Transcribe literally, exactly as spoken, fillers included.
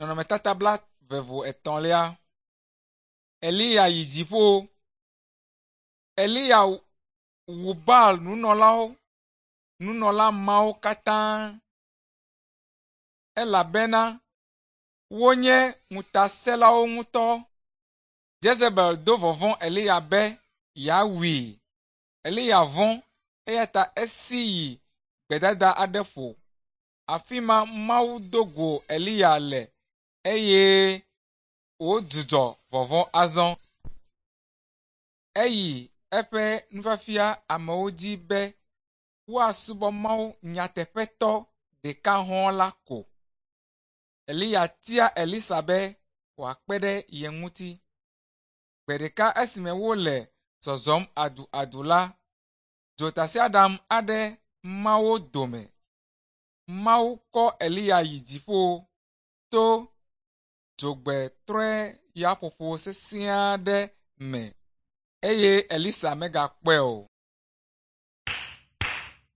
Nɔnɔmetata blaeve vo etɔ̃lia. Eliya yi dziƒo. Eliya wu Baal nunɔlawo nunɔla mawo katã elabena wonye ŋutasẽlawo ŋutɔ. Jezebel do vɔvɔ̃ Eliya be yeawui. Eliya vɔ̃ eya ta esi yi gbedada aɖe ƒo. Afi ma Mawu do go Eliya le eye wòdzudzɔ vɔvɔ̃ azɔ. Eyi eƒe nufiafia amewo dzi be woasubɔ Mawu nyateƒetɔ ɖeka hɔ̃ la ko. Eliya tia Elisa be wòakpe ɖe ye ŋuti. Gbe ɖeka esime wole zɔzɔm aduadu la, dzotasiaɖam aɖe ma wo dome. Mawu kɔ Eliya yi dziƒo to dzogbetrɔe yaƒoƒo sesẽ aɖe me eye Elisa megakpɔe o.